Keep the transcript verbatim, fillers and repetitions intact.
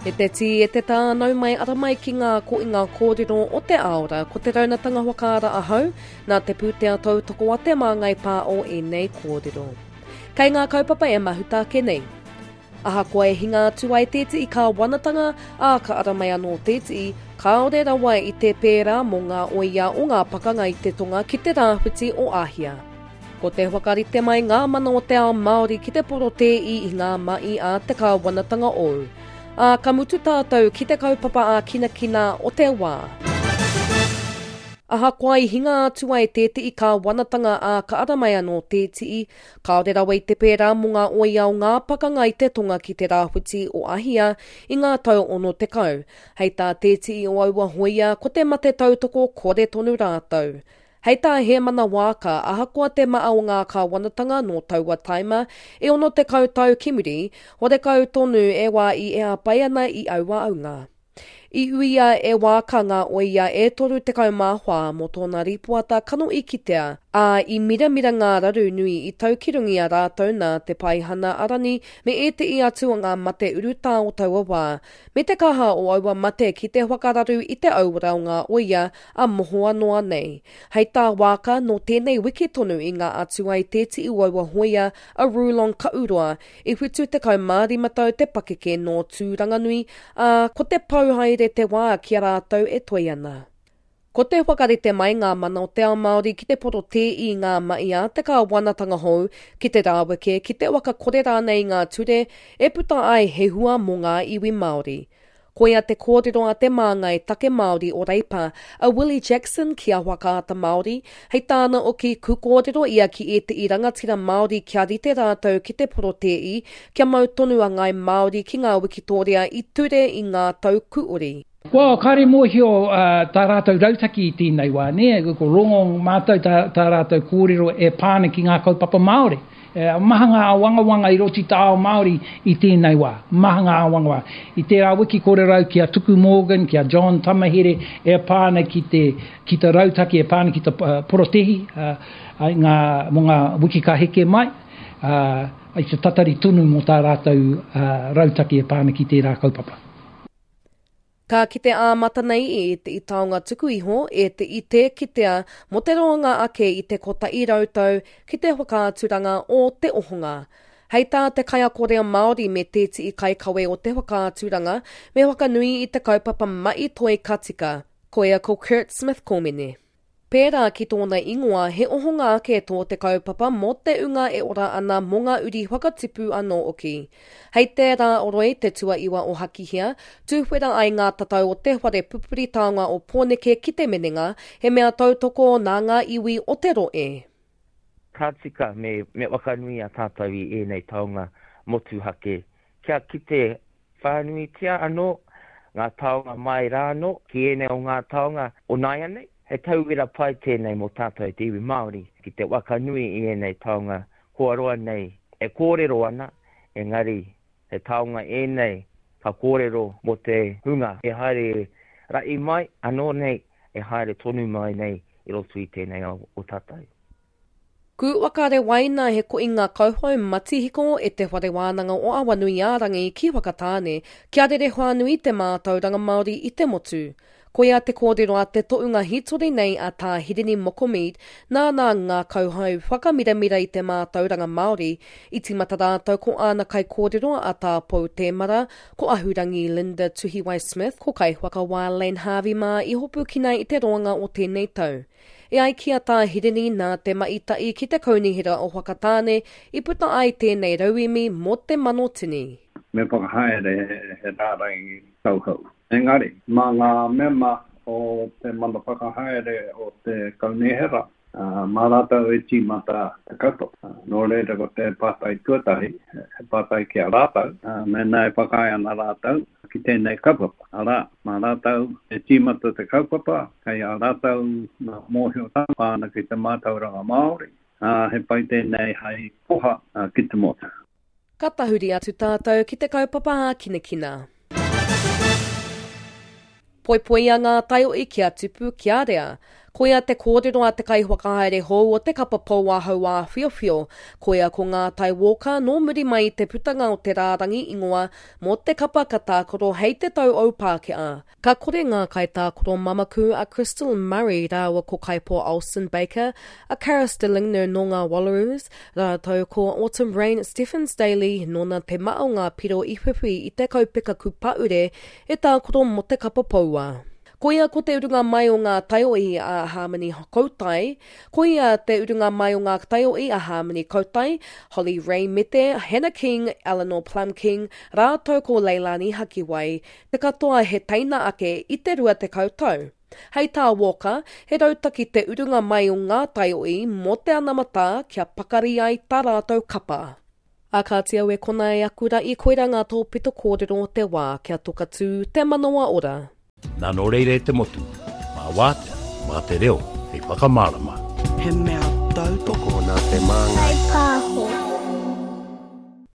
E te tī, e te tā, nau mai ara mai ki ngā ko i ngā kōrero o te aora. Ko te raunatanga whakaara ahau, nā te pūtea tautoko a Te Māngai Pāho ēnei kōrero. Kei ngā kaupapa e mahuta ake nei. Ahakoa e hinga atu ai tētehi kāwanatanga, ā, ka ara mai anō tētehi, kāore rawa i te pērā mō ngā oia o ngā pakanga i te tonga ki te rāwhiti o Āhia. Ko te whakarite mai ngā mana o te ao Māori ki te porotēi i ngā mahi a te kāwanatanga ou. Ā, ka mutu tātou ki te kaupapa ākinakina o te wā. Ahakoa i hinga atu ai tētehi kāwanatanga ā ka ara mai anō tētehi, kāore rawa i te pērā mō ngā oia o ngā pakanga i te tonga ki te rāwhiti o Āhia i ngā tau ono tekau. Hei tā tētehi o aua hoia, ko te mate tautoko kore tonu rātou. Hei tā Hēmana Waaka, ahakoa te maha o ngā kāwanatanga nō taua taima e ono tekau tau ki muri, horekau tonu e wā i e āpai ana i aua aunga. I uia e Waaka ngā oia e toru tekau mā whā mō tōna rīpoata kanohi kitea, ā, i miramira ngā raru nui i tau ki runga i a rātou nā te paihana arani me ētehi atu o ngā mate urutā o taua wā, me te kaha o aua mate ki te whakararu i te auora o ngā oia a mohoa noa nei. Hei tā Waaka, nō tēnei wiki tonu i ngā atu ai tētehi o aua hoia a Rulon Kauroa, i whitu tekau mā rima tau te pakeke nō Tūranganui, ā, ko te pau haere te wā ki a rātou e toe ana. Ko te whakarite mai ngā mana o te ao Māori ki te porotē i ngā mahi a te kāwanatanga hou, ki te rāweke, ki te whakakore rānei i ngā ture e puta ai he hua mō ngā iwi Māori. Koia te kōrero a te māngai take Māori o Reipa, a Willie Jackson ki a Whakaata Māori, hei tāna oki ku kōrero ia ki ētehi rangatira Māori kia rite rātou ki te porotēi, kia mau tonu a Ngāi Māori ki ngā wikitoria i ture i ngā tau kuori. Well, kāre mōhio uh, tā rātou rautaki i tēnei wā, nē? Ko rongo mātou tā, tā rātou kōrero e pā ana ki ngā kaupapa Māori. E, maha ngā āwangawanga i roto i te ao Māori i tēnei wā. Maha ngā āwangawanga. I tērā wiki kōrero au ki a Tuku Morgan, ki a John Tamahere e pā ana ki te, ki te rautaki, e pā ana ki te uh, porotehi uh, ngā, mō ngā wiki ka heke mai. Uh, i te tatari tonu mō tā rātou uh, rautaki e pā ana ki tērā kaupapa. Ka kite ā-mata nei i ētehi taonga tuku iho, ētehi tē kitea mō te roanga ake i te kotahi rau tau ki te whakaaturanga o Te Ohonga. Hei tā te kaiako reo Māori me tētehi kaikawe o te whakaaturanga, me whakanui i te kaupapa mahi toi ka tika. Koia ko Kurt Smith Komene. Pērā ki tōna ingoa, he ohonga ake tō te kaupapa mō te unga e ora ana mō ngā uri whakatipu anō hoki. Hei te rā oroi te tuaiwa o Hakihea, tūwhera ai ngā tatau o te whare pupuri taonga o Pōneke ki te Menenga, he mea tautoko nā ngā iwi o te rohe. Ka tika me, me whakanui a tātou i ēnei taonga motuhake. Kia kite whānuitia anō ngā taonga mai rānō ki ēnei o ngā taonga o nāianei. He tauira pai tēnei mō tātou te iwi Māori ki te whakanui i ēnei taonga kua roa nei e kōrero ana, engari he taonga ēnei ka kōrero mō te hunga e haere ra'i mai, anō nei e haere tonu mai nei i roto i tēnei ao o tātou. Ku whakarewaina he koinga kauhau matihiko e te whare wānanga o Awanuiārangi ki Whakatāne, kia rere whānui te mātauranga Māori i te motu. Koia te kōrero a te tohunga hītori nei a Tā Hirini Moko Mead, nāna ngā kauhau whakamiramira i te mātauranga Māori, i tīmata rātou ko āna kaikōrero a Tā Pou Tēmara, ko Ahurangi Linda Tuhiwai Smith, ko kaiwhakawā Len Harvey mā i hopukina i te roanga o tēnei tau. E ai ki a Tā Hirini nā te maita'i ki te kaunihera o Whakatāne i puta ai tēnei rauemi mō te mano tini. Me whakahaere he rārangi kauhau. Engari, mā ngā mema o te mana whakahaere o te kaunihera, mā rātou e tīmata te kaupapa. Nō reira ko te pātai tuatahi, he pātai ki a rātou, mēnā e whakaae ana rātou ki tēnei kaupapa. Arā, mā rātou e tīmata te kaupapa, kei a rātou ngā mōhiotanga pā ana ki te mātauranga Māori, ā, he pai tēnei hei koha ki te motu. Ka tahuri atu tātou ki te kaupapa ākinakina. Poipoia ngā taiohi kia tupu kia rea. Koia te kōrero a te kaiwhakahaere hou o te kapa Poua Hauāwhiowhio, koia ko Ngātai Walker nō muri mai i te putanga o te rārangi ingoa mō te kapa ka tākaro hei te tau o Pākehā. Ka kore ngā kaitākaro mamaku a Krystal Murray rāua ko Kaipo Olsen Baker, a Carys Dillinger nō ngā Wallaroos, rātou ko Autumn Rain Stephens-Daly nōna te maha o ngā piro i whiwhi i te kaupeka kupaure e tākaro mō te kapa Poua. Koia ko te urunga mai o ngā taiohi a Harmony Kautai, koia te urunga mai o ngā taiohi a Harmony Kautai, Holly Ray Mete, Hannah King, Eleanor Plum King, rātou ko Leilani Hakiwai, te katoa he teina ake i te rua tekau tau. Hei tā Walker, he rautaki te urunga mai o ngā taiohi mō te anamata kia pakari ai tā rātou kapa. A kāti au e kona e aku ra i koira ngā tōpito kōrero o te wā kia toka tū te manawa ora. Nā nō reira e te motu, mā wātea, mā te reo, hei whakamārama. He mea tautoko Tokona te māngai.